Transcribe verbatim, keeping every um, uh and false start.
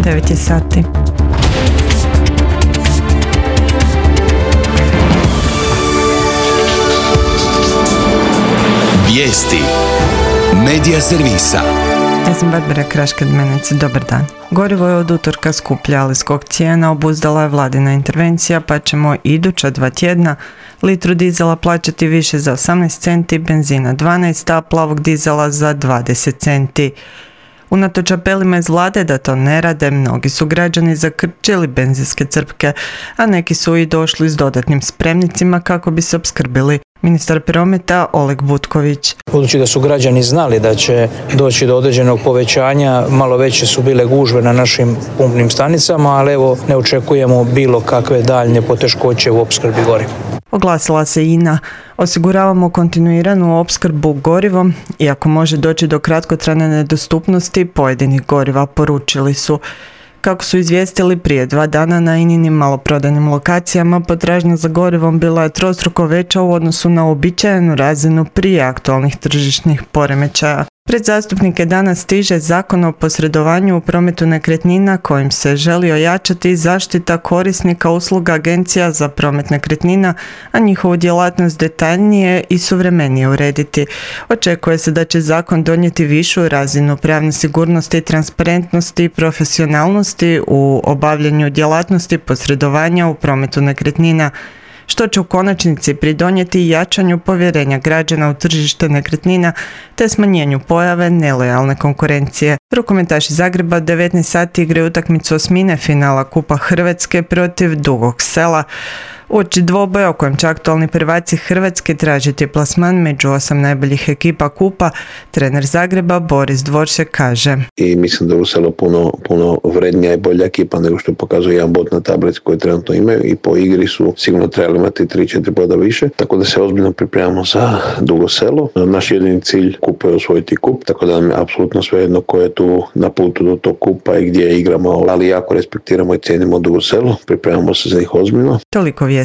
devet je sati. Vijesti Medija servisa. Ja sam Barbara Kraškad-Menec, dobar dan. Gorivo je od utorka skuplje, ali skok cijena obuzdala je vladina intervencija, pa ćemo iduća dva tjedna litru dizela plaćati više za osamnaest centi, benzina dvanaest, a plavog dizela za dvadeset centi. Unatoč apelima iz vlade da to ne rade, mnogi su građani zakrčili benzinske crpke, a neki su i došli s dodatnim spremnicima kako bi se opskrbili. Ministar prometa Oleg Butković. Budući da su građani znali da će doći do određenog povećanja, malo veće su bile gužve na našim pumpnim stanicama, ali evo ne očekujemo bilo kakve daljnje poteškoće u opskrbi goriva. Oglasila se I N A. Osiguravamo kontinuiranu opskrbu gorivom, iako može doći do kratkotrajne nedostupnosti pojedinih goriva, poručili su. Kako su izvijestili prije dva dana na I N I-nim maloprodajnim lokacijama, potražnja za gorivom bila je trostruko veća u odnosu na uobičajenu razinu prije aktualnih tržišnih poremećaja. Pred zastupnike danas stiže Zakon o posredovanju u prometu nekretnina kojim se želi ojačati zaštita korisnika usluga agencija za promet nekretnina, a njihovu djelatnost detaljnije i suvremenije urediti. Očekuje se da će zakon donijeti višu razinu pravne sigurnosti, transparentnosti i profesionalnosti u obavljanju djelatnosti posredovanja u prometu nekretnina, što će u konačnici pridonijeti jačanju povjerenja građana u tržište nekretnina te smanjenju pojave nelojalne konkurencije. Rukometaši Zagreba devetnaest sati igraju utakmicu osmine finala Kupa Hrvatske protiv Dugog Sela. Uoči dvoboja u kojem će aktualni prvaci Hrvatske tražiti plasman među osam najboljih ekipa Kupa, trener Zagreba Boris Dvoršek kaže. I mislim da je u Selo puno, puno vrednija i bolja ekipa nego što pokazuje jedan bod na tablici koju trenutno imaju i po igri su sigurno trebali imati tri četiri boda više, tako da se ozbiljno pripremamo za Dugo Selo. Naš jedini cilj Kupa je osvojiti kup, tako da nam je apsolutno svejedno ko je tu na putu do tog kupa i gdje igramo, ali jako respektiramo i cijenimo Dugo Selo, pripremamo se za njih ozbiljno. Toliko vijestima.